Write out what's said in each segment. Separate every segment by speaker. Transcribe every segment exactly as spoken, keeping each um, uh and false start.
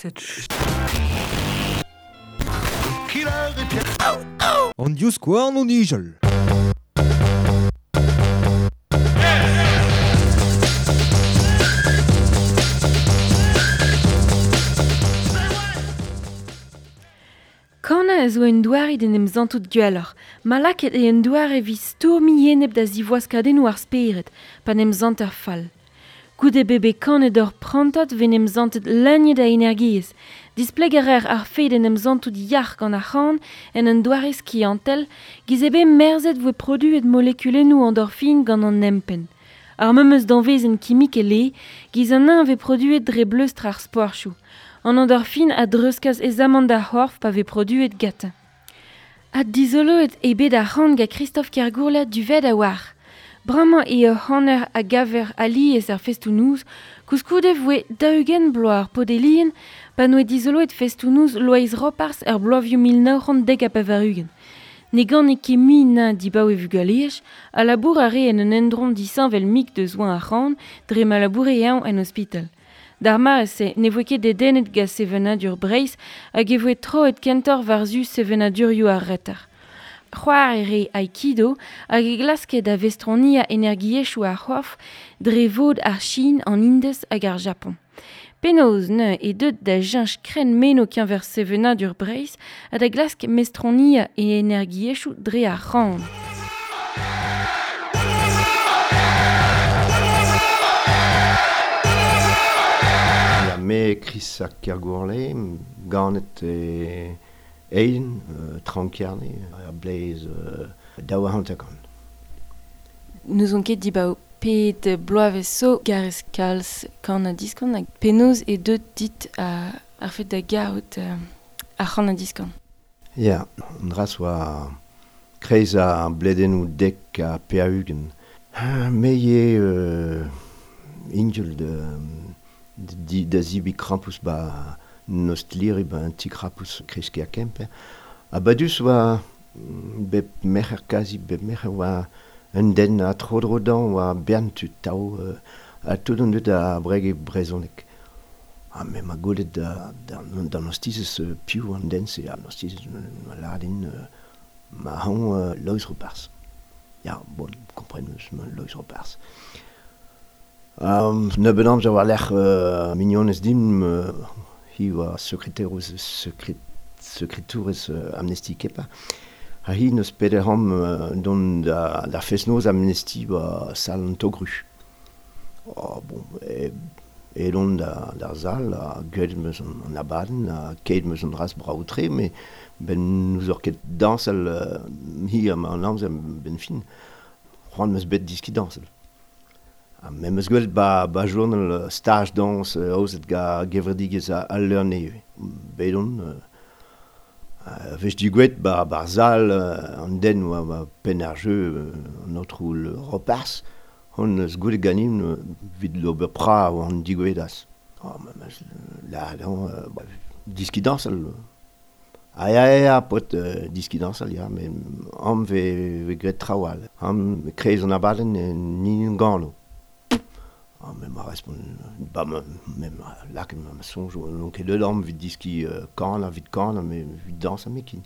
Speaker 1: Cette
Speaker 2: An divskouarn o nijal.
Speaker 3: Kana a zo un doare d'en em zantout gwelloc'h, ma lakaet eo un doare evit stourmiñ enep da zivoaskadennoù ar spered, pa n'em zant ar fall. Goude bebe kanet ur prantad vez n'em zantet leuniet a energiezh. Displeg a reer ar fed en em zantout yac'h gant ar c'han en un doare skiantel, giz eo bet merzet voe produet molekulennoù endorfin gant an empenn. Ar memes danvezenn kimikel eo, giz an eñ vez produet dre bleustr ar sporchoù. An endorfin a dreuzkas aezamant d'ar c'horf pa vez produet gantañ. Ha dizoloet eo bet ar c'han gant Christophe Kergourla duvet a-walc'h. Bremañ eo ur c'haner a gaver alies ar festoù-noz, koulskoude voe daou-ugent bloaz ar paotr-elien pa n'oa dizoloet festoù-noz Loeiz Roparz er bloavezhioù mil nav c'hant dek ha pevar-ugent. Ne gane ket mui na dibaoe vugaleaj, a labour a rae en un endro disheñvel-mik deus oa ar c'han dre ma laboure eñ en ospital. D'ar mare-se ne voe ket dedennet gant sevenadur Breizh hag e voe troet kentoc'h war-zu sevenadurioù ar reter. C'hoari re aikido hag e glaske da vestroniañ energiezhioù ar c'horf dre vod ar Chin, an Indez hag ar Japon. Penaos neuze eo deuet da cheñch krenn meno keñver sevenadur Breizh ha da glask mestroniañ e energiezhioù dre ar c'han.
Speaker 4: Ya, me Chris ar Kergourlay, ganet e Eilen, euh, Trankerne, ar blez euh, daou a hanter-kant.
Speaker 3: N'ouzon ket dibaoe pet bloavezh zo garez kalz kan ha diskan hag penaos eo deuet dit a, ar fet da garout euh, ar c'han ha diskan.
Speaker 4: Ya, an dra oa kreiz ar bledennoù dek ha pevar-ugent. Me eo euh, ingel de, de, da zibi krampouezh ba nostliri ba un ti krampouezh kreski a Kemper. Ha badus oa bep merc'her kazi, bep merc'her oa un den a tro-dro dañ oa bern tud tav euh, ha tout an dud a brege brezhoneg. Ha me ma gwelet da, da, d'an ostizez euh, piv an den se, an ostizez ma ladin euh, ma hañ euh, Loeiz Roparz. Ya, bon, kompren eus ma Loeiz Roparz. Um, nebeut amzer war-lerc'h euh, mignonez din euh, hi oa sekreterouz sekret, sekretourez euh, Amnesty Kepa. Ha hi neus pedet c'hamp euh, dont da, da fest-noz Amnesty ba sal an Togru. Oh, bon, e, edon da, d'ar sal, ha gwelet meus an, an abadenn, ha ket meus an dras brav-tre, met ben n'ouzor ket dañsal euh, hi am an amzer ben fin. C'hoant meus bet diski dañsal. Ha me meus gwelet ba, ba journal stage dañs euh, aozet ga gevredigezh a, al leur nevez. Bet on, euh, euh, vech digouet ba, ba sal euh, an den oa ba penn ar jeu euh, an aotrou le Roparz, hon eus gwelet ganin euh, vid l'ober pra oa an digouedas. Oh, me meus la dañ, euh, ba, diski dañsal. Ah ya, ya, ya, paotr euh, diski dañsal, ya, met am ve, ve graet traoù all. Am kreiz an abadenn euh, ni gano. Ah, me ma respont, ba, me, me ma lakaet ma ma soñj, n'on ket deut am evit diski euh, kan, evit kan, me evit dañs ha mekin.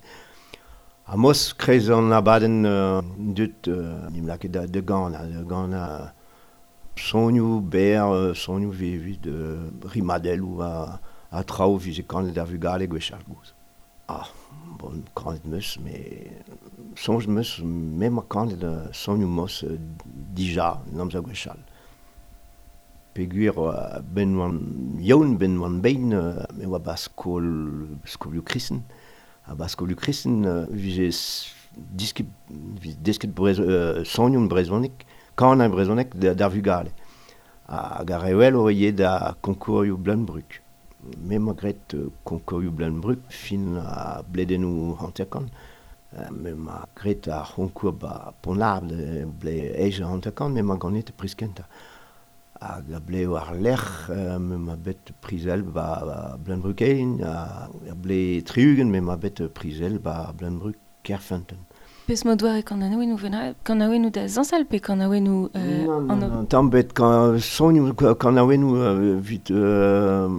Speaker 4: Ha mos kreiz an abadenn euh, deut euh, nim lakaet da, da gan, da gan a sonioù berr, euh, sonioù evit euh, rimadelloù a, a traoù vije kanet ar vugale gwechall gozh. Ah, bon, kanet meus, met soñj meus, me ma kanet euh, sonioù mos euh, dija, n'amzer gwechall. Peogwir euh, ben oan yaouank, ben oan bein, euh, me oa ba skol, skolioù kristen. Ha ba skolioù kristen euh, vije disket, vije desket brez, euh, sonioù brezhoneg, kanañ brezhoneg d'ar vugale. Hag ar re wel o eo da konkourioù Bleun-Brug. Me ma graet euh, konkourioù Bleun-Brug fin a bledennoù hanter-kant. Euh, me ma graet ar c'honkour ba Pont-l'Arbre ble eizh hanter-kant, me ma ganet priz kentañ. Hag a ble war lerc'h, euh, me ma bet prizel ba, ba Bleun-Brug ein, a, a ble tri-ugent me ma bet prizel ba Bleun-Brug Kerfeunteun.
Speaker 3: Pes mod doare kanaouennoù vena, kanaouennoù da zañsal pe kanaouennoù euh,
Speaker 4: non, non, non, tamm bet kan sonioù kanaouennoù euh, vit euh,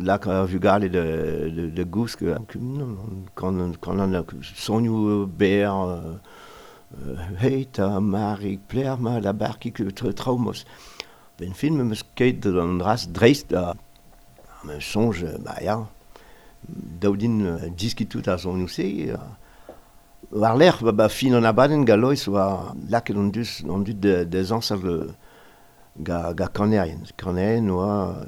Speaker 4: lak ar vugale de, de, de gousk, non, non, kan, kan an sonioù ber, euh, hey ta Marik pler ma la barkik traumos. Ben film meus ket an dras dreist da me sonj, ba ya, daoudin diskitout ar sonioù se, war l'er, ba, ba fin an abadenn ga lois oa laket an dus an dud de, de zañsal ga, ga kanerien. Kanerien oa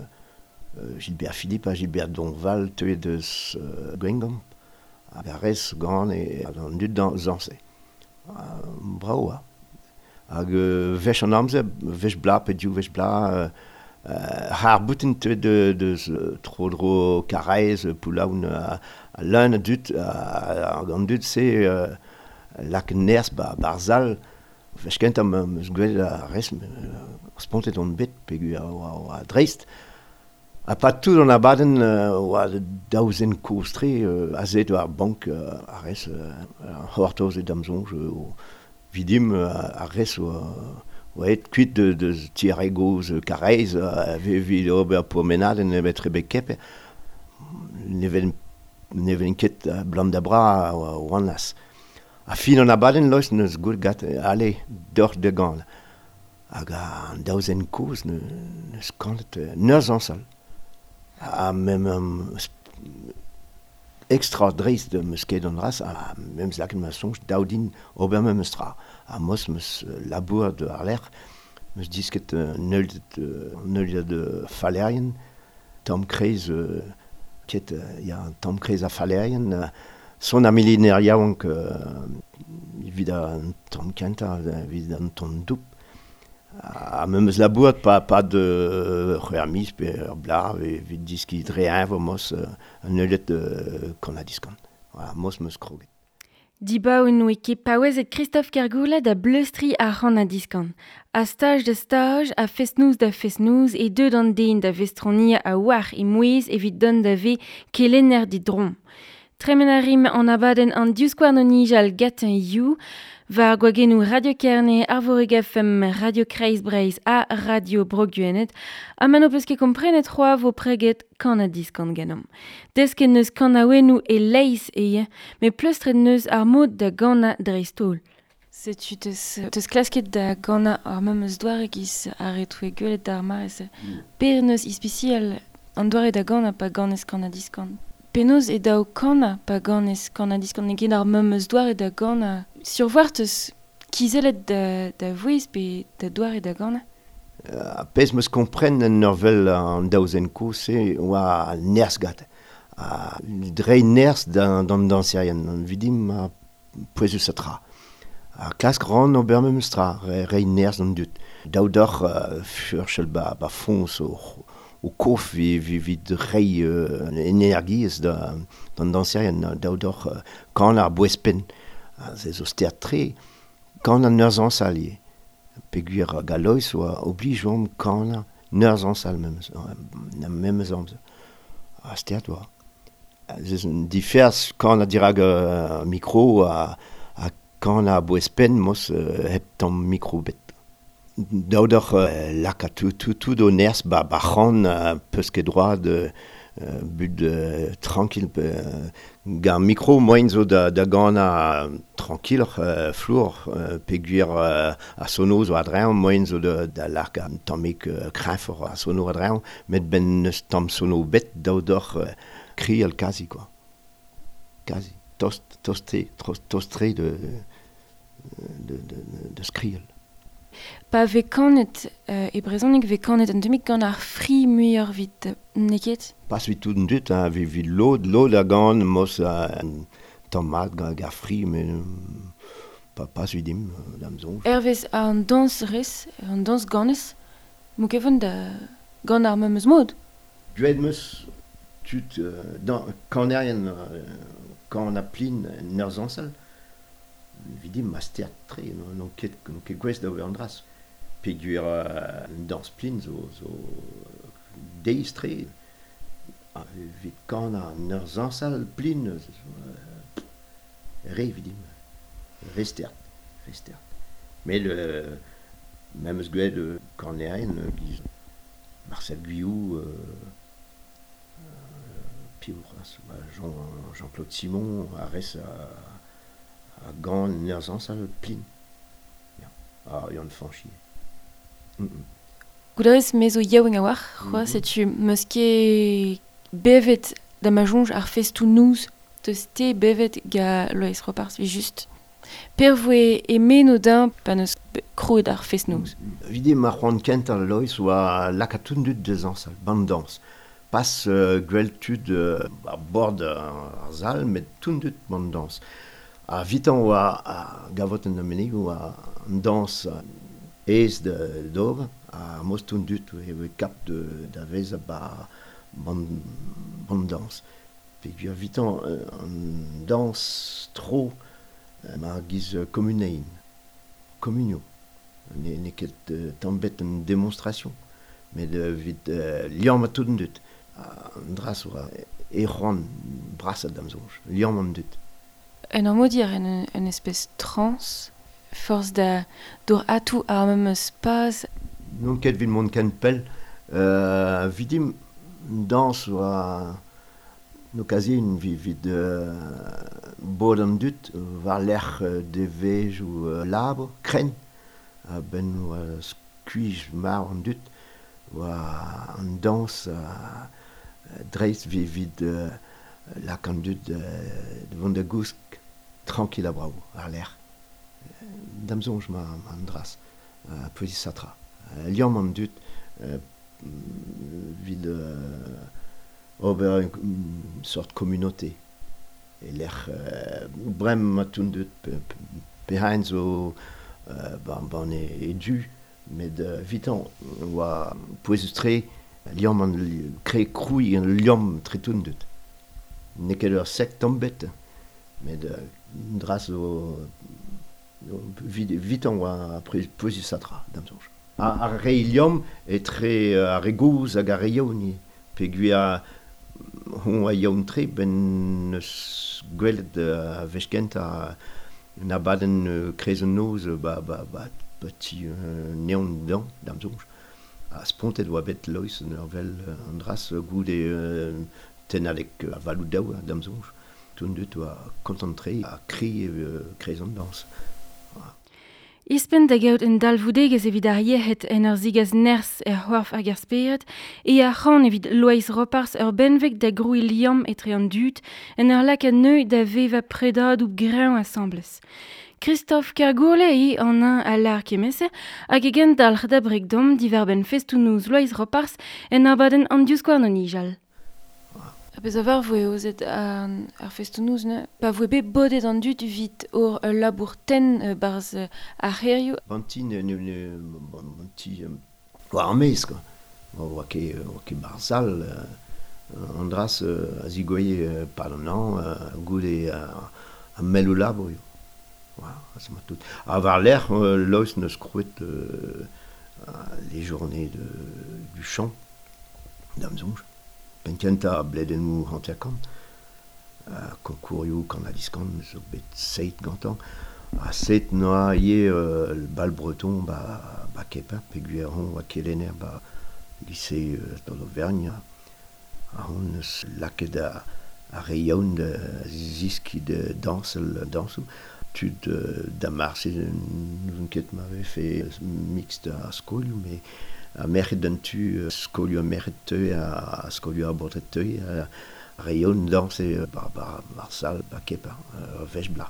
Speaker 4: euh, Gilbert Philippe ha Gilbert Donval teuet deus euh, Gwengamp hag a rez gant e an dud dan zañse. Uh, bravo oa. Hag euh, vech an amzer, vech bla pe div vech bla, euh, har boutin teuet de, deus tro-dro Karaez, Poulaoun, a, a leun a dud, hag an dud se euh, lak nerz ba, barzal, vech kentañ meus gwelet a rez, spontet on bet peogwir oa, oa dreist. Ha pa tout an abadenn oa daou zen kozh-tre euh, azet war bank euh, a rez, euh, c'hortoz e da'm soñj, euh, vidim a rez oa oa aet kuit de, de ti ar re gozh Karaez, evit ober pourmenadenn evet rebek kepe. Ne ven, ne ven ket blam da bra oa oan as. A fin an abadenn lois neus gwell gat ale deoc'h da ganañ. Hag an daou zen kozh ne, neus kanet neus zañsal. Ha mem um, extra dreist meus ket an dras, ha memes lakaet ma soñj daoudin ober memes tra. Ha mos meus labour de ar lec'h, meus disket uh, neuldet, uh, neuliad uh, fallerien, tamm kreiz, uh, ket, uh, ya, tamm kreiz a fallerien, uh, son ar miliner yaouank uh, evit an tamm kentañ, evit an tamm doup. Ha memes labourat pa, pa de c'hwec'h miz pe ur bloaz evit diskiñ dre eñvor mos uh, an neuliad uh, kan ha diskan. Voilà, mos meus kroget.
Speaker 3: Dibaoe oe ket paouezet Christophe Kergoula da bleustriñ ar c'han ha diskan. A staj da staj, a fest-noz da fest-noz e deut an den da vestroniañ a oar e mouezh evit dont da ve kelenner didron. Tremen a rim an abadenn an divskouarn o nijal gant you, war gwagennoù Radio Kerne, Arvorig F M, Radio Kreiz Breizh ha Radio Bro Gwened, ha ma n'ho peus ket komprenet c'hoazh vo preget kan ha diskan ganeomp. Desket neus kanaouennoù e-leizh eo, met pleustret neus ar mod da ganañ dreist-holl. Setu teus, teus klasket da ganañ ar memes doare giz ar re toue gwelet d'ar mare-se.
Speaker 4: Mm.
Speaker 3: Per neus ispisial an doare da ganañ pa ganez kan ha diskan. Penaos e daou kanañ pa ganez kan ha diskan, n'eo ket ar memes doare da ganañ. Sur voir teus kizellet da, da vouezh pe da doare da ganañ?
Speaker 4: Uh, pezh meus kompren en ur vel an daou zen kozh-se oa nerzh gante. Ha dre nerzh d'an, d'an dañserien, an vidim a pouezus a tra. Ha klask ran ober memes tra, re, reiñ nerzh d'an dud. Daou deoc'h uh, furchal ba, ba foñs o, o kof vi, vi, vit reiñ euh, energiezh da, d'an dañserien, daou deoc'h uh, kan ar bouez-penn. Ha se zo stert-tre, kan an ur zañsal ivez. Peogwir galois oa oblij oamp kanañ ur zañsal memes, na memes amzer. Ha stert oa. Se un diferz kanañ dirak uh, mikro ha, ha kanañ a bouez-penn mos uh, hep tamm mikro bet. Daou deoc'h uh, lakaat tout, tout, tout o nerzh ba, ba c'han uh, peus ket droad uh, bud uh, tranquil uh, gant mikro moaien zo da, da ganañ tranquilloc'h, uh, flour, uh, peogwir uh, a sono zo a-dreñv, moaien zo da, da lakaat un tammig uh, kreñvoc'h a sono a-dreñv, met ben neus tamm sono bet daou deoc'h uh, krial kazi quoi. Kazi. Tost, tost-tre, tost-tre de, de, de, de skrial.
Speaker 3: Pa vez kanet euh, e brezhoneg vez kanet un tammig gant ar fri muioc'h vit n'eo ket?
Speaker 4: Pas vit tout an dud, hein, vit, vit lod, lod a gan mos un tamm mat gant ar fri, met pa, pas vit dim, da'm soñj.
Speaker 3: Hervez an dañs rez, an dañs ganez, m'o ket da gant ar memes mod?
Speaker 4: Gwelet meus tud euh, dan, kanerien euh, kan a plin en ur zañsal, vidim ma stert-tre, n'on ket, n'on ket gouest da ober an dras. Peogwir euh, an dañs plin zo, zo deiz-tre. Ha evit kanañ an ur zañsal plin, zo, euh, re vidim. Restert, restert. Met euh, me'm eus gwet euh, kanerien, euh, giz Marcel Guillou, euh, euh, piv c'hoazh, ba, Jean, Jean-Claude Simon, a rez a, a gant ur zañsal plin. Ya. Ah, Yann Fanchi. Mm -mm.
Speaker 3: Goudarez me zo yaouank a-walc'h, c'hoazh,
Speaker 4: Mm -hmm.
Speaker 3: setu meus ket bevet da ma soñj ar festoù noz teus te bevet ga Loeiz Roparz, vi just. Per voe e meno din pa neus krouet ar fest noz.
Speaker 4: Vide ma c'hoant kentañ Loeiz oa lakaat tout dud da zañsal, ban dañs. Pas euh, gwell tud euh, a bord ar sal, met tout dud ban dañs. A vitañ oa a gavot an amenig oa an dañs aes da d'ober, a moz tout dud e voe kap de, da vez ba ban, ban dañs. Peogwir vitañ an dañs tro ma giz communein, communio. Ne, n'eo ket euh, tamm bet un démonstration, met euh, vit euh, liamm tout an dud. An dra oa e c'hoant brasat da'm soñj, liamm an dud.
Speaker 3: En ur mod en un espèce trans, force da d'ober atou ar memes paz.
Speaker 4: N'on ket vit mont ken pell, euh, vidim dañs oa no kazi vit, vit euh, bod an dud war lec'h devezh ou euh, labour, krenn, a benn oa skuizh mar an dud, oa an dañs a dreist vit, vit euh, lak an dud euh, vont da gousk tranquille a bravo, ar lec'h. Da'm soñj ma, ma an dras, uh, pouezus satra. Uh, liamm an dud euh, vit euh, ober une sorte communauté. E lec'h euh, brem ma tout dud pe, pe, pe hein zo euh, ban, ban e, e du, met euh, vitan oa pouezus tre liamm an kre krouiñ an liamm tre tout dud. N'eo ket ur sekt tamm bet, met euh, dras zo vit, vitan oa pouezus satra, da'm soñj. Ar re liamm etre ar re gozh hag ar re yaouank, peogwir a hon a yaouank tre ben eus gwelet a wech kentañ un abadenn kreiz an noz ba, ba, ba, ba ti euh, neon dañ, da'm soñj. A spontet oa bet Loeiz en ur vel an dras goude euh, tennadeg a valoù daou da'm soñj. Tout dud oa kontant-tre a kri euh, kreiz an dañs.
Speaker 3: Ispen da gaout un dalvoudegezh evit ar yec'hed en ur zigaz nerzh er c'hoarf hag ar spered, e ar c'han evit Loeiz Roparz ur benveg da grouiñ liamm etre an dud en ur lakaat neu da vevañ predadoù greñv asambles. Christophe Kergourle eo an un a lar kemese hag e gendalc'h da breg dom diwar-benn festoù-noz Loeiz Roparz en abadenn an divskouarn o nijal. A bez a var voe ozet an ar festoù-noz, ne? Pa voe bet bodet an dud vit ur ul labour tenn euh, barzh ar c'hêrioù.
Speaker 4: Banti ne, ne, ne, banti oa ar maez, quoi. Oa ket, oa ket barzh euh, an dras euh, a zigoye euh, pad an an, euh, goude a, a melloù labour eo. Voilà, ça m'a tout. A war lec'h, euh, Loeiz neus krouet euh, les journées de, du chant, da'm soñj. Penn kentañ bledennoù hanter-kant, uh, konkourioù kan ha diskan zo bet seit gantañ. A seit noa ivez euh, bal breton ba, ba Keper, peogwir hon oa kelenner ba lycée euh, d'Auvergne. A hon eus lakaet a, a re yaouank da ziskiñ de dañsel dañsoù. Tud euh, da marse n'ouzon ket ma vefe mixte a skolioù, met a merc'hed d'an tu skolioù a merc'hed teu a skolioù a baotred teu a re yaouank dañse ba, ba, bar sal ba Keper, ur wech bla.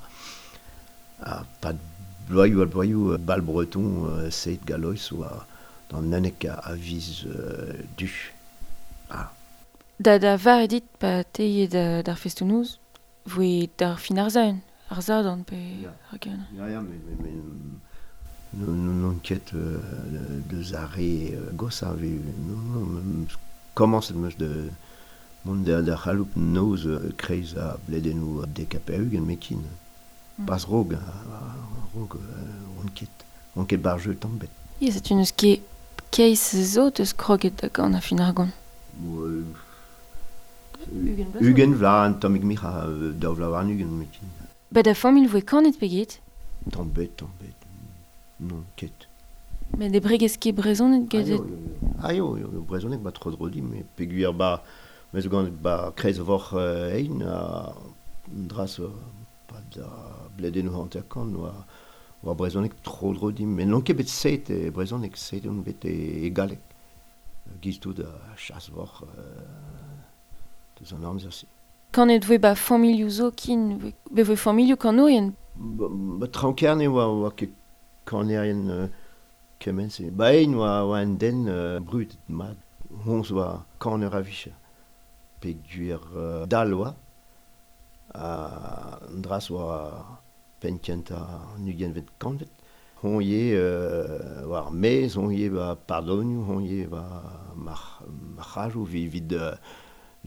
Speaker 4: A pad bloaioù a bloaioù bal breton euh, seit galois oa d'an unnek a, a viz euh, du. Ah.
Speaker 3: Da da var edit pa teie da, d'ar festoù-noz, voe d'ar fin ar zaun, ar zadorn pe
Speaker 4: Ya.
Speaker 3: ar gen.
Speaker 4: Ya, ya, met, met, met non, non ket euh, deus ar re gosañ vi non, non, komañset 'm eus de mont da, da c'haloup noz kreiz a bledennoù dek ha pevar-ugent mekin.
Speaker 3: Mm.
Speaker 4: Pas rog, rog, on ket, on ket bar jeu tamm bet.
Speaker 3: Ya, setu n'eus ket keiz zo deus kroget da gant a fin ar gant.
Speaker 4: Euh,
Speaker 3: Ugent vloaz.
Speaker 4: Ugent vloaz, un tammig mic'h a daou vloaz warn-ugent mekin.
Speaker 3: Ba da familh voe kanet pe get?
Speaker 4: Tamm bet, tamm bet. Non, ket.
Speaker 3: Met e bregez ket brezhoneg get...
Speaker 4: Ah yo, yo, brezhoneg ba tro dro di, met peogwir ba... Me zo gant ba kreiz vor ein, a dras pa da bledennoù hanter-kant oa, oa brezhoneg tro dro di, met n'on ket bet set e brezhoneg, set on bet e, e galleg. Giz tout a chas vor deus an amzer-se.
Speaker 3: Kanet voe ba familhoù zo kin, be voe familhoù kanourien?
Speaker 4: Ba, ba Traoñ-Kerne oa, oa ket kanerien euh, kement-se. Ba ein oa, oa un den euh, brudet mat. Hoñz oa kaner a-vicher. Peogwir euh, dall oa, ha an dras oa penn kentañ an ugentvet kantved. Hon ivez euh, war ar maez, hon ivez ba pardonioù, hon ivez ba mar, marc'hajoù evit euh,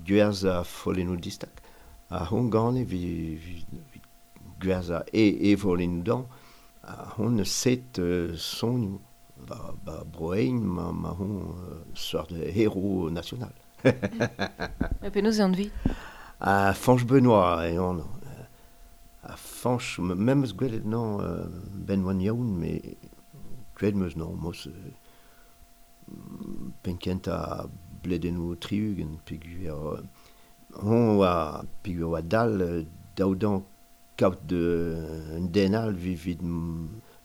Speaker 4: gwerzhañ follennoù distak. Ha hon gane evit, evit gwerzhañ e, e follennoù dan. Ha hon eus set euh, sonioù ba, ba Broein ma, ma hon euh, seurt héros national.
Speaker 3: Ma penaos eo anvet?
Speaker 4: Ha Fañch Benoît eo anv. Ha Fañch, me'm eus gwelet nañ ben oan yaouank, met gwelet 'm eus nañ mos penn kentañ bledennoù tri-ugent peogwir hon oa peogwir oa dall daou dañ kaout un den all evit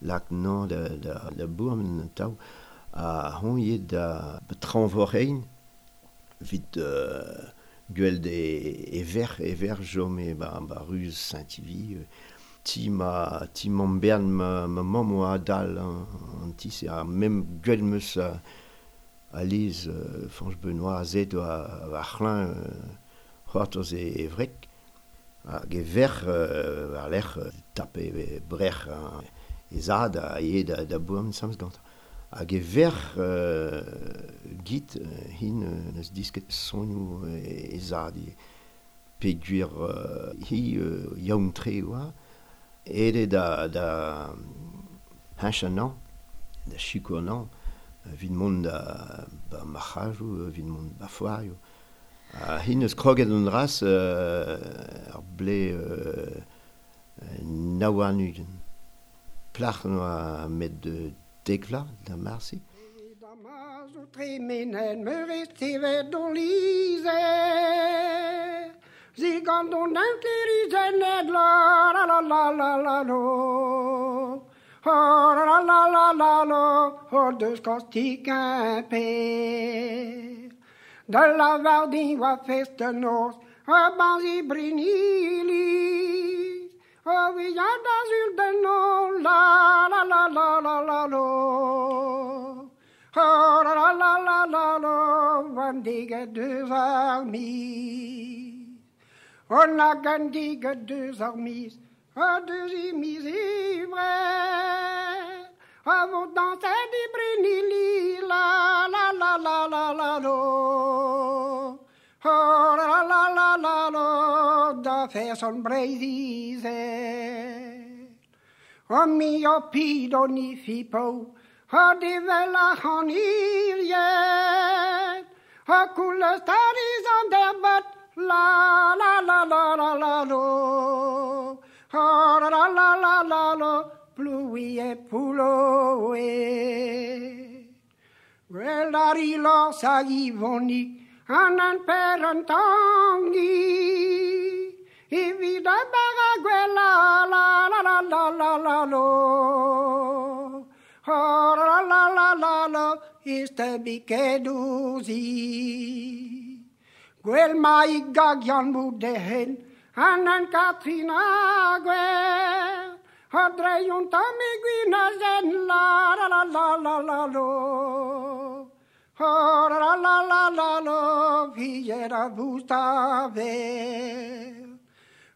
Speaker 4: lak nañ da, da, da bourmen an tav. Ha hon ivez da Traoñ-Vor-Ein evit euh, gwell e, e verc'h, e verc'h chome ba, ba ruz Saint-Ivy. Ti ma, ti mamm bern ma, ma mamm oa dal an, an ti-se, ha mem gwell 'm eus a, a lez euh, Fañch Benoît a zed oa war c'hlañ euh, c'hoartoz e, e wreg. Hag e verc'h euh, war-lerc'h tape e brec'h e zad a eo da, da bourmen samz gantañ. Hag e verc'h euh, git hin euh, neus disket sonioù e, e zad e peogwir euh, hi euh, yaouank-tre oa aet eo da, da heñchañ nañ, da sikour nañ, evit mont da ba marc'hajoù, evit mont ba foarioù. Ha hi neus kroget an dras euh, ar blez euh, nav warn-ugent. Plac'h noa met de dek vloaz da marse.
Speaker 1: Tremenen meurez tevet don lizer Zigant don inkerizennet la la la la la la lo La la la la la lo Ho deus kostik un pe De la vardin oa fest noz A banzi brinili O via da zul den no la la la la la la lo La la la la la la van diget deus ar miz On a gant diget deus ar miz A deus i miz ivre A vo danset di brinili la la la la la la lo La la la la la la da fer son Breiz-Izel O mi o pido ni fipo Ha devel a c'han iriet Ha koulez tariz an derbat La la la la la la lo Ha la la la la la la Ploui e pouloe Gwell ar ilor sa ivonik An an per an tangi Evit a bar a gwell la la la la la la la lo La la la la la la Iste bikedouzi Gwell ma i gag yann boudehen An an Katrina gwell Ha dreion tam e gwin a zen la la la la la la lo La la la la la la Viet a voustave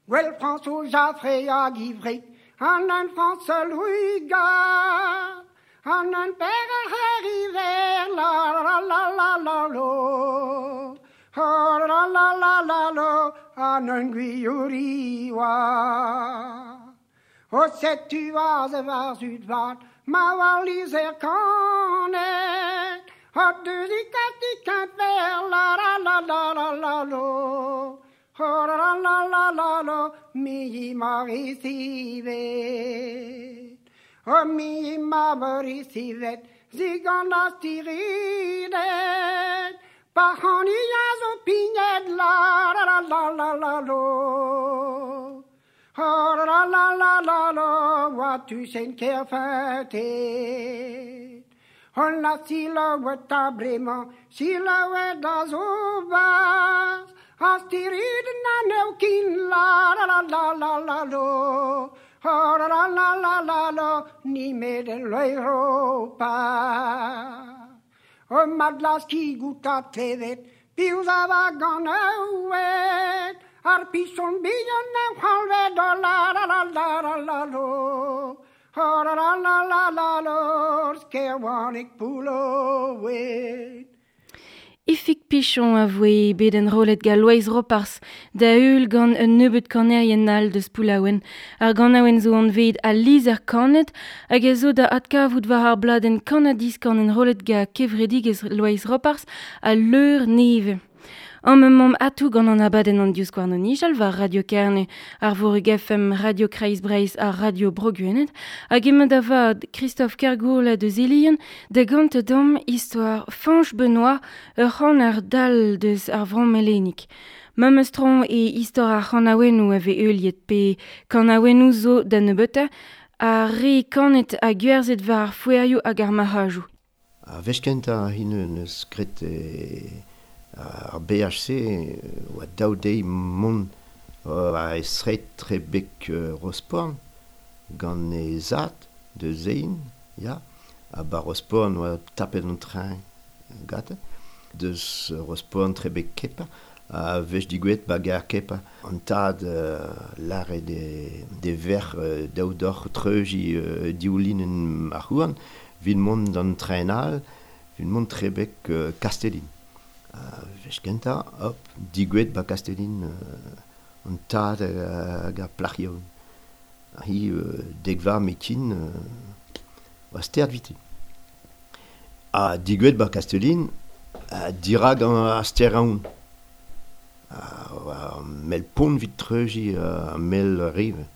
Speaker 1: Gwell François Jaffré hag Ivry An an François Louis Gall An an per a c'heriver la la la la la lo La la la la la la An an gwiouri oa O setu az e war zud vat Ma war lizer kanet Ha deus i kati kemper la la la la la la lo La la la la la la Mi i mar isive. O mi ma vorisivet, zigan a stiridet, pa hani a zo pignet la la la la la la lo. Oh la la la la la, wa tu sen kerfetet. On la silhouette a bremañ, silhouette a zo bas, a stirid na neukin la la la la la la lo. Oh la la la la la la, ni met en l'Europa. O madlas ki gouta klevet, piv a va gant aouet, ar pison bihan a c'halvet, oh la la la la la la lo. Oh la la la la la la, skerwanek poulouet.
Speaker 3: Ifig Pichon a voe bet enrollet ga Loeiz Ropars da heul gant un nebeud kanerien all deus Poullaouen. Ar ganaouenn zo anvet al lizer kanet hag a zo da adkavout war ar bladenn kanadiskan enrollet ga kevredigezh Loeiz Ropars a leur neve. An mamm atou gant an abadenn an diouzskouarn o nijal war Radio Kerne, ar Vorug F M, Radio Kreiz Breizh ha Radio Bro Gwened, hag emañ da vat Christophe Kergourla deus Elien da gant dam istor Fañch Benoît ur c'hanner dall deus ar Vro-Melenik. Mamestron e istor ar c'hanaouennoù a vez heuliet pe kanaouennoù zo da nebeutañ ha re kanet ha gwerzhet war ar foerioù hag ar marc'hajoù.
Speaker 4: A wech kentañ hin neus graet e... Ar B H C oa daou deiz mont a esret trebek Rosporn gant e zad de zein, ya, ha ba Rosporn oa tapet an train gante, deus Rosporn trebek Kepa, a wech digouet ba gar Kepa. An tad uh, lare de, de ver uh, daou doc'h treuji uh, dioulinen ar c'houarn, vit mont d'an train all, vit mont trebek uh, Kastellin. Uh, wech kentañ, hop, digouet ba Kastellin uh, an tad hag ar plac'h yaouank. Hi uh, degva metin uh, oa stert viti. Ha digouet ba Kastellin, uh, dirag an ar ster aon. Uh, mel pont vit treuji uh, mel rive.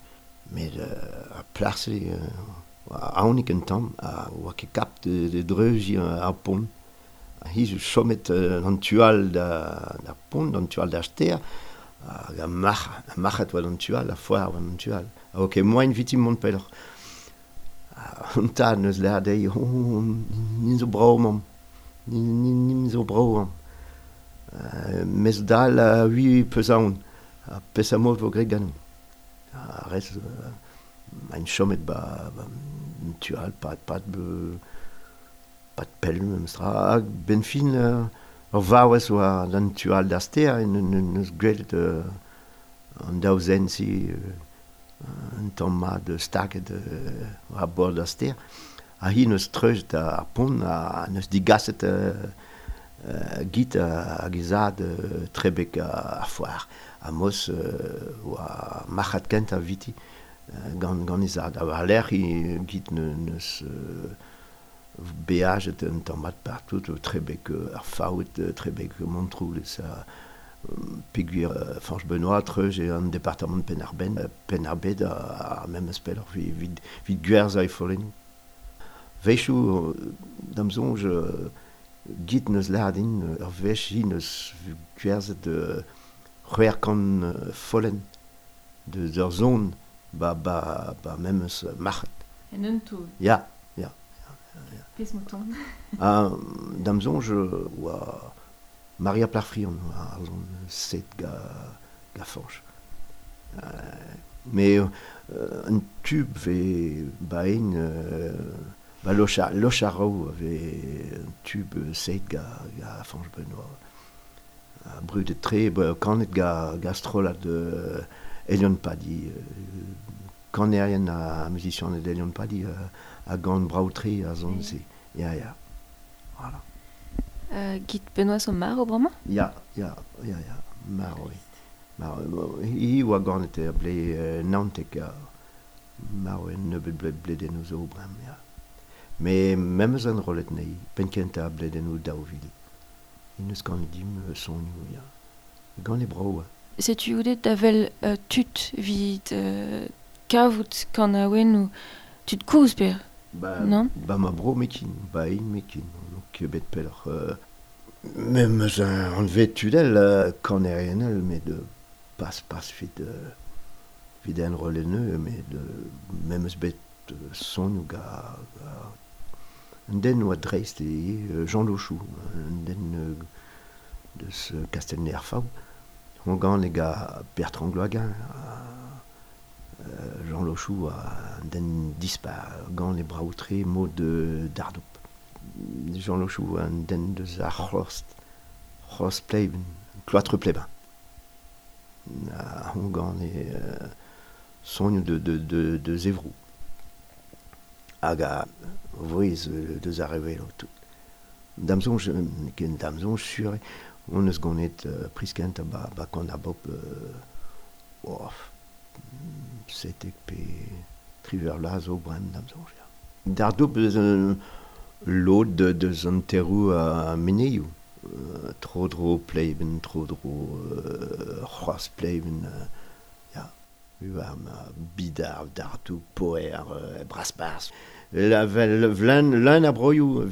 Speaker 4: Met uh, ar plac'h-se uh, aonik un tamm, a oa ket kap de, de dreuji ar pont. Hi zo chomet uh, an tual da, da pont, an tual da ster, hag a marc'h, a marc'hat oa d'an tual, a foar oa d'an tual. A oa ket moain viti mont pelloc'h. An tad neus lâret dezhi, oh, nin zo brav mamm, nin, nin, nin zo brav mamm. Uh, mes dal a ui peus aon, a pes a mod vo graet ganeomp. A rez, uh, ein chomet ba, ba an tual, pat, pat, be, pat pell memestra, hag ben fin uh, ur vaouez oa d'an tual da ster en neus gwelet uh, an daou zen si uh, un tamm mat staket uh, war bord da ster. Ha hi neus treuzet ar pont ha neus digaset uh, uh, git hag e zad uh, trebek ar foar. Ha mos uh, oa marc'had kentañ viti uh, gant, gant e zad. Ha war lerc'h hi git neus uh, beajet un tamm mat partout, trebek ar Faout, trebek Montroulez, ha peogwir Fañch Benoît treuz e an departamant Penn-ar-Benn, Penn-ar-Bed ha memes pelloc'h vit, vit gwerzhañ e follennoù. Wechoù, da'm soñj, git neus lâret din, ur wech hi neus gwerzhet c'hwec'h kant follenn deus ur zon ba, ba, ba memes marc'had.
Speaker 3: En un taol.
Speaker 4: Ya.
Speaker 3: Pezh mouton.
Speaker 4: Ha da'm soñj oa Maria Plac'hfrion ar zon set ga, ga Fañch. Uh, mais uh, un tube ve baen uh, ba loch loch ar raou ve un tube set ga, ga Fañch Benoît. Ha brudet tre, ba, kanet ga, ga strollad uh, Elion Padi, uh, kanerien ha musicianed Elion Padi uh, a gant brav-tre a zon se. Ya, ya. Voilà.
Speaker 3: Uh, Git Benoît zo marv bremañ?
Speaker 4: Ya, ya, ya, ya. Marv eo. Marv. Hi oa ganet er blez uh, naontek ha marv eo nebeut ble, bledennoù zo bremañ, ya. Mais memes an rollet nei, penn kentañ bledennoù daou vil. Hi neus ganet dimp uh, sonioù, ya. Gant e brav.
Speaker 3: Setu oudet da vel uh, tud vit uh, kavout kanaouennoù Tud koz per,
Speaker 4: ba,
Speaker 3: non?
Speaker 4: Ba ma bro mekin, ba in mekin, donc bet pelloc'h. Euh, Mem eus un anvet tudel euh, kanerien met de pas pas fit euh, vid en rolleneu, met de mem eus bet son ga, ga un den oa dreist e Jean Lochou, un den deus Castelnau-ar-Faou. On gant e ga Bertrand Gloaguin, euh, Jean Lochou a un den dispar, gant e braoutre mod de Dardoup. Jean Lochou un den deus ar c'hlost, c'hlost pleiben, cloître plebin. A on gant e euh, sonioù de, de, de, de Zevrou. Hag a vouez deus ar revelo tout. Damzonj, ken damzonj sur, on eus ganet euh, priskent ba, ba kan a bop euh, oh, setek pe triver la zo brem damzonj. Ya. Dardoup eus un lod de, deus an terrou a meneioù. Euh, tro dro pleiben, tro dro euh, c'hoaz pleiben, euh, ya. Uva ma bidar, dardoup, poer, euh, braspars. La vlen leun a broioù,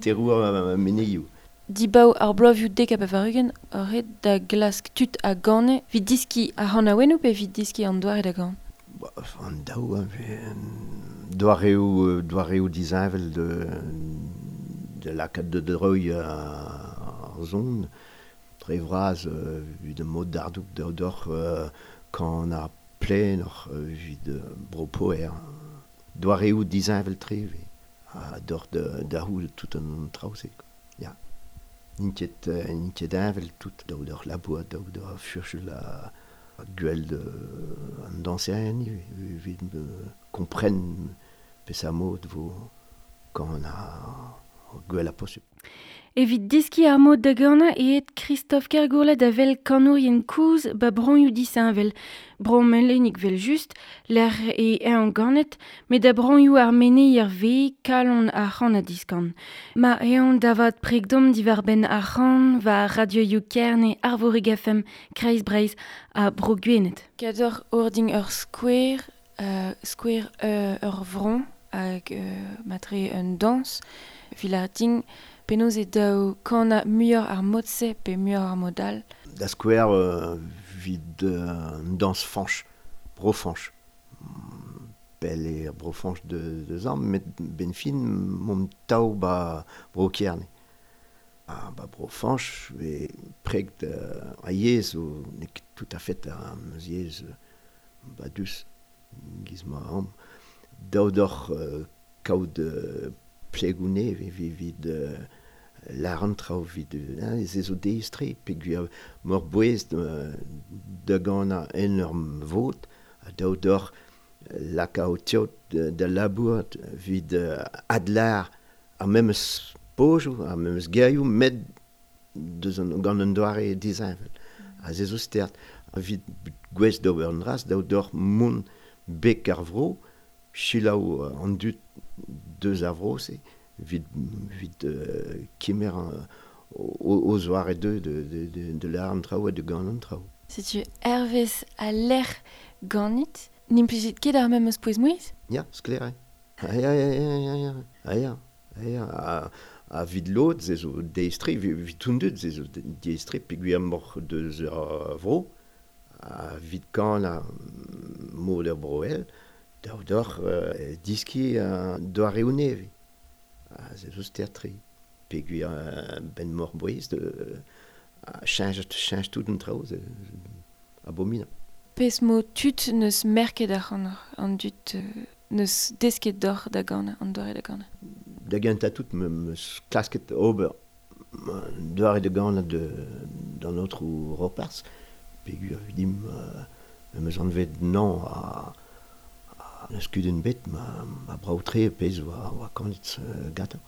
Speaker 4: terrou a meneioù.
Speaker 3: Dibaou ar bloavioù dek a pevar-ugent ur ret da glask tud a gane vid diski ar c'hanaouennoù pe vid diski an doare da gan?
Speaker 4: Ba, an daou, doareoù, doareoù disheñvel de, de lakaat de dreuil ar zon. Dre vras vid mod dardoup d'oc'h kan ar plen oc'h vid bro poer. Doareoù disheñvel tre ha d'oc'h da c'houl tout an traoù-se. Ya. N'int ket, n'int ket heñvel tout daou d'oc'h labour, daou d'oc'h furchul a gwell de an dañserien evit kompren peseurt mod vo kan a gwell a posupl.
Speaker 3: Evit diski ar mod da ganañ eo Christophe Kergourlay da vel kanourien koz ba broioù disheñvel. Bro melenik vel just, lec'h e eñ ganet, met da broioù ar meneier ve kalon ar c'han a diskan. Ma eñ davat pregdom diwar-benn ar c'han war radioioù Kerne, Arvorig F M, Kreiz Breizh ha Bro Gwened. Kador ordin ur skouer, euh, skouer euh, ur vron hag euh, matre un dañs, vilarding penaos e daou kana muioc'h ar mod-se pe muioc'h ar mod all.
Speaker 4: Da skouer euh, vid euh, un dañs fañch, bro fañch. Pell eo bro fañch de, de zan, met ben fin mont taou ba bro Kerne. Ha ba bro fañch e preg a yezh o n'eo ket tout à fait ar meus yezh ba dus giz ma am. Daou d'oc'h euh, kaout euh, plegoù nevez evit euh, lar an traoù evit hein, ez zo deistre peogwir mor bouez da ganañ en ur vot ha daou d'oc'h laka ho teod da labour evit adlar ar memes pojoù, ar memes gerioù met deus an, gant un doare disheñvel. Ha se zo stert. Evit gwez d'ober an dras, daou d'oc'h mont bek ar vro, selaou an dud deus ar vro-se, evit, evit euh, kemer o, o zoare de, de, de, de, de lar an traoù ha de gant an traoù.
Speaker 3: Setu hervez a lec'h ganit, n'implijit ket ar memes pouez-mouezh?
Speaker 4: Ya, sklaer eo. Ah ya, ya, ya, ya, ya, ah ya, ah ya, a, a vid lod, se zo deistre, vid tout dud, se zo deistre, peogwir moc'h deus ar vro, a vid kan a mod ar broel, daou d'oc'h euh, diski uh, doareoù nevez. Ha se zo stert-tre. Peogwir euh, ben mor bouez de uh, cheñch, cheñch tout an traoù, se abominabl.
Speaker 3: Pezh mo tud neus merket ar c'han an dud euh, neus desket d'oc'h da ganañ, an doare da ganañ.
Speaker 4: Da gentañ tout me meus klasket ober doare da ganañ de d'an aotrou Roparz, peogwir dim euh, me meus anvet nañ a N'eus kudenn bet ma, ma brav-tre pezh oa, oa kanet euh, gantañ.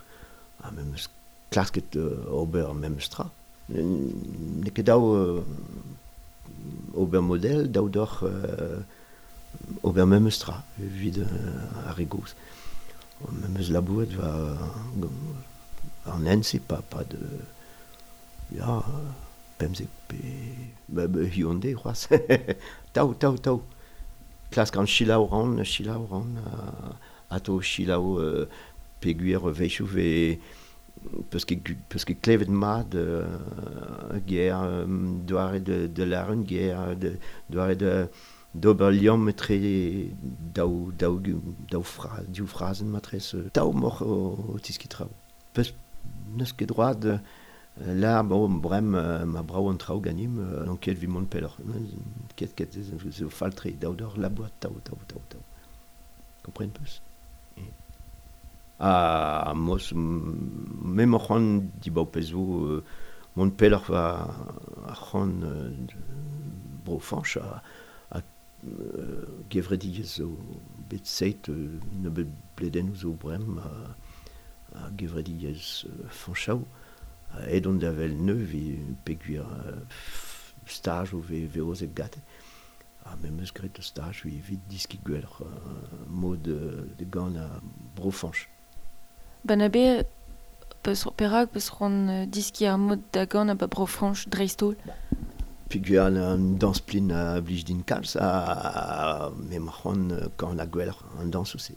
Speaker 4: Ha me meus klasket euh, ober memes tra. N'eo ket daou euh, ober model, daou d'oc'h euh, ober memes tra evit euh, ar re gozh. Me meus labouret war an hent-se, pa, pa de... Ya, pemzek pe... Ba, ba, hiziv an deiz c'hoazh. Taou, taou, taou. Klask an chilaou ran, chilaou ran, uh, ato chilaou uh, peguer veichou ve peus ket, peus ket klevet mat uh, ger um, doare de, de laren, ger de, doare de d'ober liamm etre daou, daou, daou fra, div frazenn matrez, taou moc'h o, o tiski traoù. Peus n'eus ket droad euh, la bon brem ma brav an traoù ganim euh, an ket vi mont pelloc'h. Ket ket zo faltre daou d'or la boîte taou taou taou taou. Kompren peus? Ha mos me moc'h c'hoant dibaou pezh zo euh, mont pelloc'h va ar c'hoant euh, bro Fañch a, a euh, gevredigezh zo bet seit euh, nebeut bledennoù zo brem a, a gevredigezh euh, Fañchaou aet on da vel neuv e peogwir euh, staj o ve ve ozet gate. Ha me meus graet ur staj evit diski gwelloc'h euh, mod de, de gant a bro Fañch.
Speaker 3: Ba na be peus perak peus c'hoant diski ar mod da gant a ba bro Fañch dreist-holl?
Speaker 4: Peogwir an, an dañs plin a blij din kalz ha me ma c'hoant gant a gwelloc'h an dañs ouzh.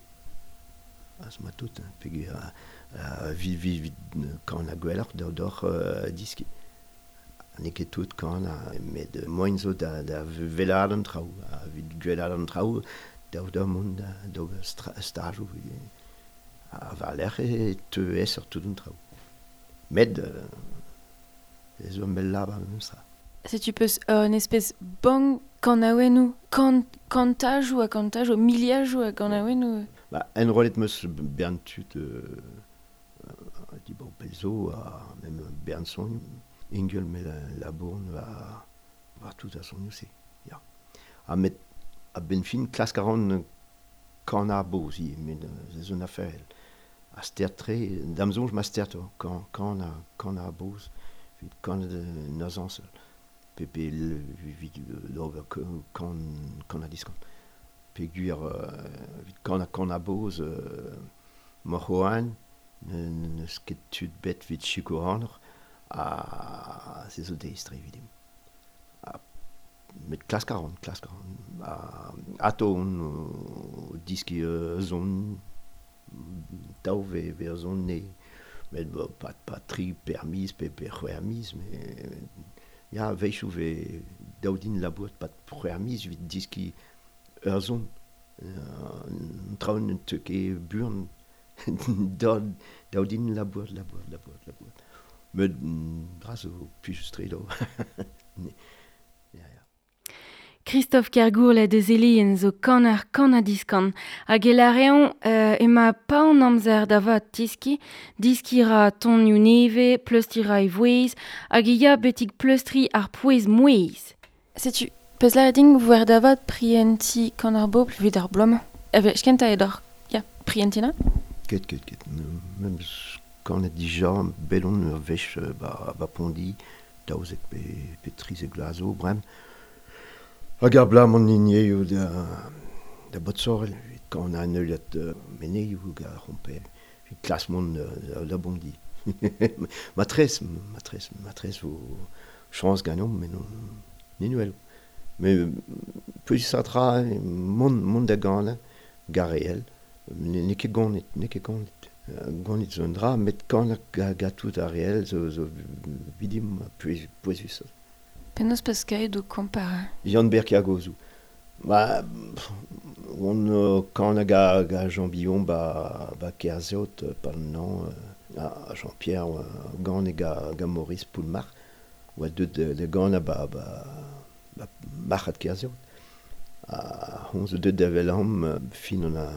Speaker 4: Ha ma tout, peogwir a, a vi vi vi gant a gwelloc'h d'ur d'oc'h uh, diski. N'eo ket tout gant a met moaien zo da, da wellaat an traoù, a vit gwellaat an traoù daou d'ur mont da d'ober stajoù. A war-lerc'h e teu aesoc'h tout an traoù. Met euh, ez zo mell lavar memestra.
Speaker 3: Setu peus un espèce bank kanaouennoù, kant, kantajoù ha kantajoù, miliajoù a kanaouennoù.
Speaker 4: Ba, enrollet meus bern tud euh, dibaou pell zo ha mem bern sonioù. Ingel me la, la bourn va, va tout a sonioù se. Ya. Ha met a benn fin klask a ran kan ar boz ivez, met ze zo un afer. A ster tre, da'm soñj ma ster to, kan, kan a, kan ar boz, evit kan de nazañsel. Pe pe evit d'ober kan, kan a diskan. Peogwir evit kan a kan a boz, euh, moc'h oan, n'eus ket tud bet evit sikour anoc'h, ha se zo deistre evidim. Ha met klask a ran, klask a ran. Ha ato on o diski euh, zon, daou ve, ve ur zon ne. Met bo, pa, pa tri per miz, pe pe c'hwec'h miz, met ya, wechoù ve daou din labourat pat c'hwec'h miz evit diski ur zon. An traoù ne teu ket buan daou, daou din labourat, labourat, labourat, labourat. Met dra zo plijus-tre daou. Ya, ya.
Speaker 3: Christophe Kergourlet deus Elien zo kaner kan ha diskan. Hag e lareon euh, ema pa an amzer da vat tiski, diski ra tonioù neve, pleustri ra e vouez, hag e ya betik pleustri ar pouez mouez. Setu, peus lâret din voer da vat prienti kan ar bobl evit ar bloaz-mañ. Evel, skenta eo d'ar, ya, prientina?
Speaker 4: Ket, ket, ket. Mem kanet dija bet on ur wech ba, ba Pondi, daouzek pe, pe trizek vloaz zo, brem. Hag ar bloaz m'on hini eo da, da Botsorel, evit kan an heuliad uh, meneioù hag ar c'homper, evit klas mont da, da Bondi. Matrez, matrez, matrez vo chañs ganeomp, met non, ninwell. Mais peus tra mont, mont da ganañ, gareel, n'eo ket gonit, n'eo ket gonit. Gonit zo un dra, met kanañ ga, ga tout ar reel zo, zo vidim pouez, pouezus.
Speaker 3: Penaos peus kaet o kompar?
Speaker 4: Yann-Ber Kergozou. Ba, on uh, kanañ ga, ga Jean Billon ba, ba Kerzeot, pa nan, uh, Jean-Pierre uh, gant e ga, ga Maurice Poulmar, oa deut de, de ganañ ba, ba, ba marc'had Kerzeot. Ha hon zo deut da vel am fin an a,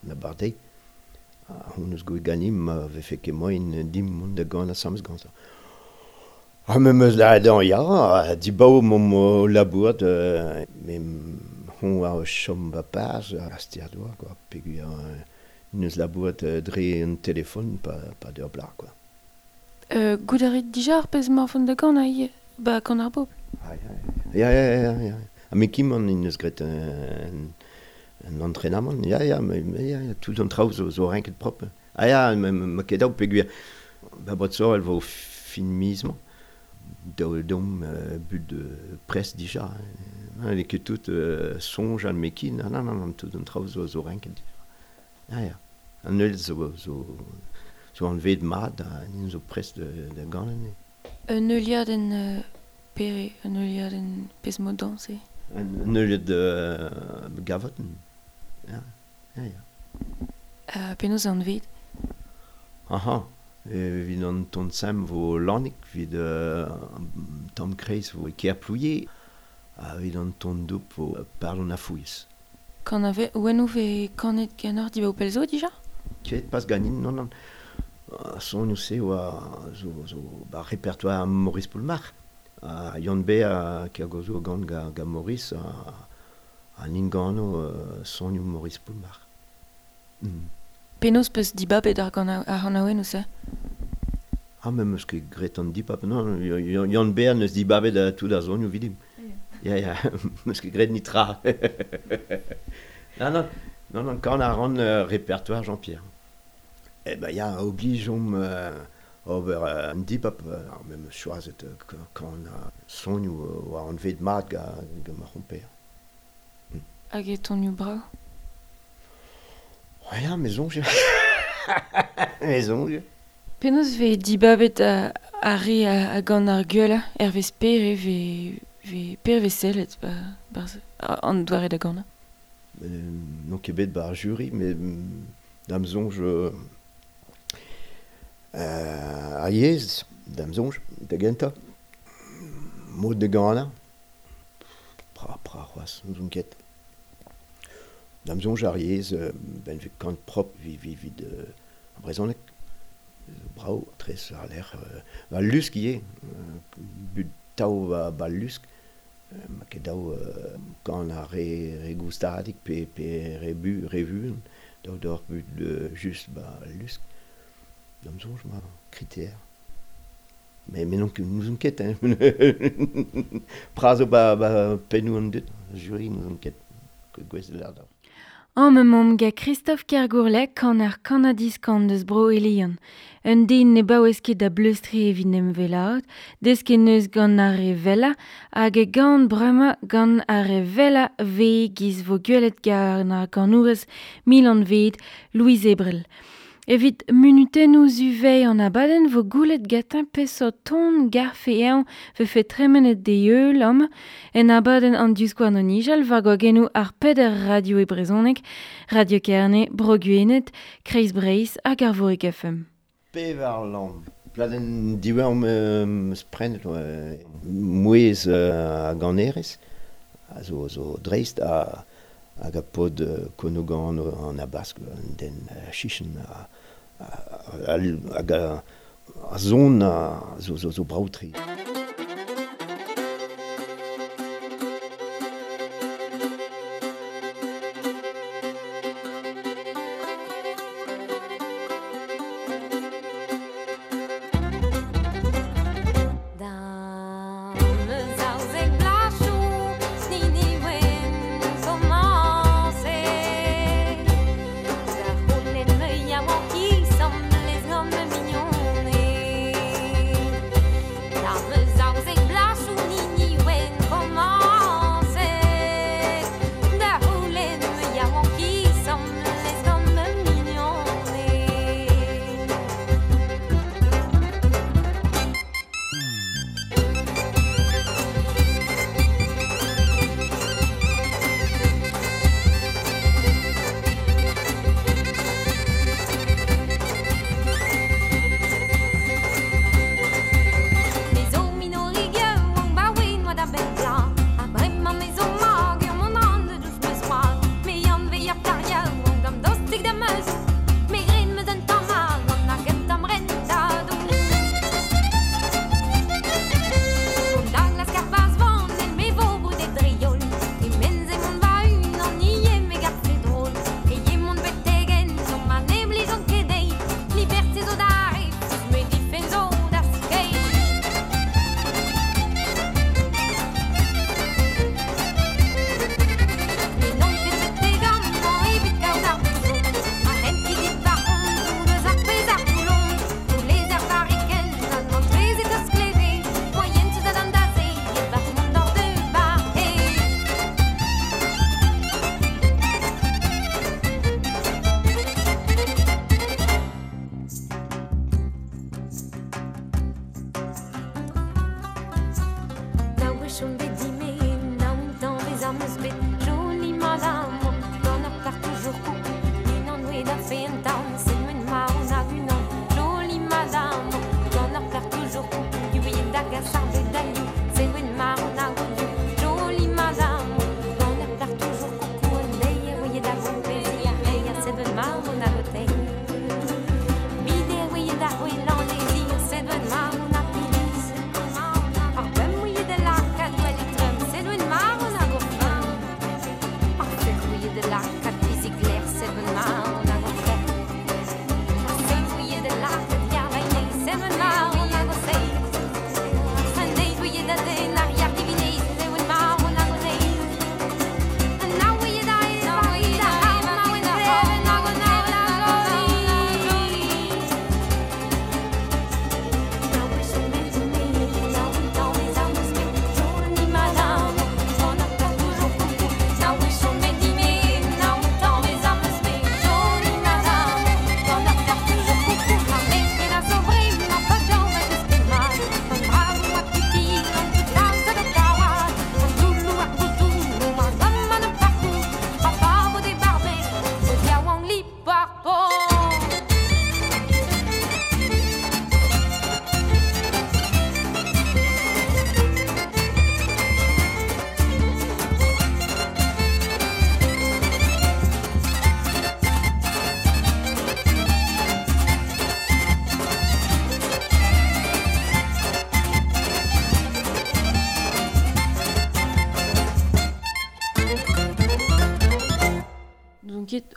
Speaker 4: an a bardei. Ha hon eus goet ganim ma vefe ket moaien dimp mont da ganañ asambles gantañ. Ha me meus lâret dezhañ ya, dibaou m'omp o labourat, euh, me hon a chom ba paz a ster doa, quoi, peogwir euh, neus labourat euh, dre un telefon pa, pa d'ur blar, quoi.
Speaker 3: Euh, goût a rit dija ar pezh morfon da ganañ ivez, ba kan ar bobl?
Speaker 4: Ah, ya, ya, ya, ya, ya. Ha me kim an neus graet un, un entraînement, ya, ya, me, me, ya, ya, tout an traoù zo, zo renket propre. Ah ya, me, me, me ket daou peogwir ba Botsorel vo fin miz-mañ. daou dom euh, but de presse dija. Hein, ket tout euh, sonj al mekin, ah, non, non, non, tout an traoù zo, zo renket. Ah, ya. An eul zo, zo, zo an ved mat, ha nin zo prest de, de ganen.
Speaker 3: Un euliad en euh, pere, un euliad en pezh mod dañse?
Speaker 4: Un euliad euh, gavotenn. Ya, ya, ya.
Speaker 3: Uh, penaos an ved?
Speaker 4: Aha, evit an ton sem vo Lannig, evit euh, tamm kreiz vo Kerplouier, ha evit an ton doup vo Pardon a Fouiz.
Speaker 3: Kan ave, ouen ve kanet ganeoc'h dibaou pell zo dija?
Speaker 4: Ket pas ganin, non, non. Son se oa zo, zo ba repertoire Maurice Poulmarc'h. Ha Yann Ber a kergozo gant ga, ga Maurice a, a nin gano uh, sonioù Maurice Poulmarc'h. Mm.
Speaker 3: Penaos peus dibabet ar gant ar c'hanaouenn se?
Speaker 4: Ah, me meus ket graet an dibab, non, Yann Ber neus dibabet uh, tout ar sonioù vidim. Ya, ya, meus ket graet nitra. Non, non, non, non, kan a ran uh, répertoire Jean-Pierre. Eh ben, ya, oblige-omp euh, ober euh, an dibab, euh, me meus choazet euh, kan a sonioù euh, war an ved mat ga, ga ma c'homper.
Speaker 3: Hag e tonioù brav?
Speaker 4: Oh ya, me soñj. Me soñj.
Speaker 3: Penaos ve dibabet a, ar re a, a gant ar gwella, hervez pere ve, ve, pere ve sellet ba, barzh an doare da ganañ?
Speaker 4: Euh, n'on ket bet ba ar jury, met da'm soñj euh, ar yezh, da'm soñj, da gentañ. Mod da ganañ. Pra, pra c'hoazh, n'ouzon ket. Da'm soñj ar yezh, ben vez kant prop vi, vi, vid euh, ar brezhoneg. Brav, tres ar lec'h. Euh, ba lusk ivez, euh, but tav ba, ba lusk. Euh, ma ket daou euh, gant ar re, re goustadig pe, pe re bu, re vuan. Daou d'or but euh, just ba lusk. Da'm soñj ma critère. Mais, mais non, n'ouzon ket, hein. Pra zo ba, ba pennoù an dud, jury n'ouzon ket. Gwez de l'ar.
Speaker 3: An me mom ga Christophe Kergourlec kan ar kanadiskan deus bro Elian. Un den ne baouez ket da bleustri evit nem velaat, deus ket neus gant ar re vella, hag e gant bremañ gant ar re vella ve giz vo gwelet gant ar ganourez Milan ved Louise Ebrel. Evit munutennoù zuvei an abadenn vo goulet gatañ peseurt ton garfe eñ vefe tremenet de eul am en abadenn an diouskouarn o nijal war gwagennoù ar peder radio e brezhoneg, Radio Kerne, Bro Gwened, Kreiz Breizh hag Arvorig F M.
Speaker 4: Pevar lamm. Pladenn diwezhañ meus prenet mouezh a ganerez, a zo, zo dreist a hag a pod konogan an abask an den chichen a hag a, a zon a zo, zo, zo brav-tre.
Speaker 5: Mignon.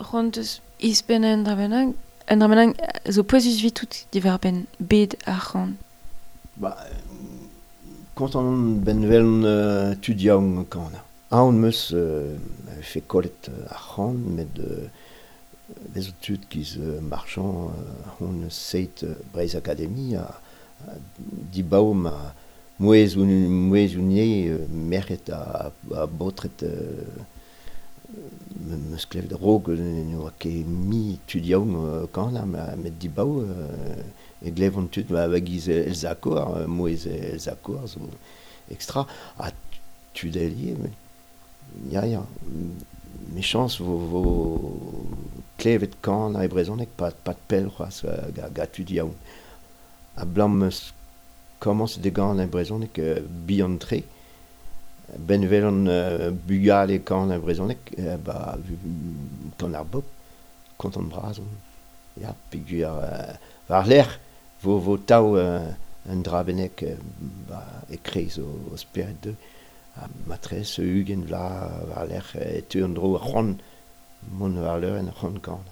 Speaker 3: C'hoant eus izpen un dra bennak, un dra bennak zo pouezus vitout diwar benn bed ar c'han.
Speaker 4: Ba, kontant on ben vel uh, tud yaouank kan. Aon meus uh, fe kollet ar c'han, met uh, vezo tud giz uh, marchand uh, hon seit uh, Breizh Akademi a, a dibao ma mouez ou mouez ou nie uh, merc'hed a, a baotred uh, meus klevet rog ne oa ket mi tud yaouank kan met dibao e glevont tud ma giz Elsa Koar, mouez Elsa Koar zo extra ha tud elie met ya ya mes chans vo vo klevet kan a e brezhoneg pa pa pell c'hoazh ga ga tud yaouank a blam meus komañs de gant e brezhoneg bihan tre ben velon uh, bugale kan a brezhoneg uh, ba kan ar bop kontant bras on ya peogwir uh, war lec'h vo vo tav uh, un dra bennak uh, ba e kreiz o, o spered deu ha matrez ugent vla war lec'h e teu an dro c'hoant mont war leur en c'hoant kan.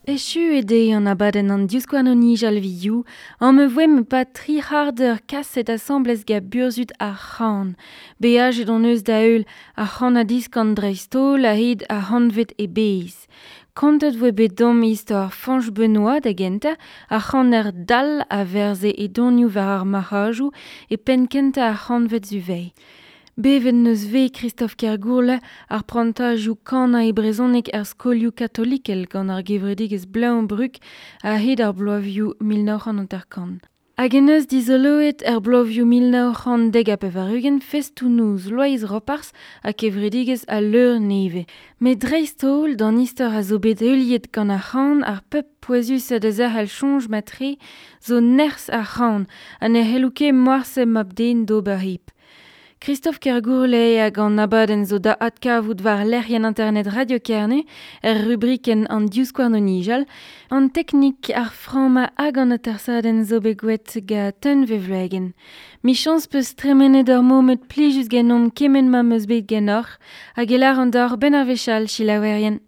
Speaker 3: Echu e deiz an abadenn an divskouarn o nijal viou, an me voem pa tri c'hardeur kaset asamblez ga burzhud ar c'han. Beajet on eus da heul ar c'han a diskan dreist-holl a-hed ar c'hantved e bez. Kontet voe bet dom istor Fañch Benoît da gentañ, ar c'haner dall a verze e donioù war ar marc'hajoù e penn kentañ ar c'hantved zuveiñ. Bevet neus ve Christophe Kergourle ar prantajoù kanañ e brezhoneg ar skolioù katolikel gant ar gevredigezh Bleun-Brug a-hed ar bloavioù mil nav c'hant hanter-kant. Hag en eus dizoloet er bloavioù mil nav c'hant dek ha pevar-ugent festoù-noz Loeiz Roparz ha kevredigezh al leur nevez. Met dreist-holl d'an istor a zo bet heuliet gant ar c'han ar pep pouezus da zerc'hel soñj matre zo nerzh ar c'han ha ne c'hello ket morse mab-den d'ober hep. Christophe Kergourle hag an abadenn zo da adkavout war lec'hienn internet Radio Kerne er rubrikenn an divskouarn o nijal, an teknik ar framma hag an atersadenn zo bet gwet ga teun vevlegen. Michañs peus tremenet ur momed plijus genomp kement ma meus bet genoc'h hag e lâran deoc'h ben ar wech all selaouerien.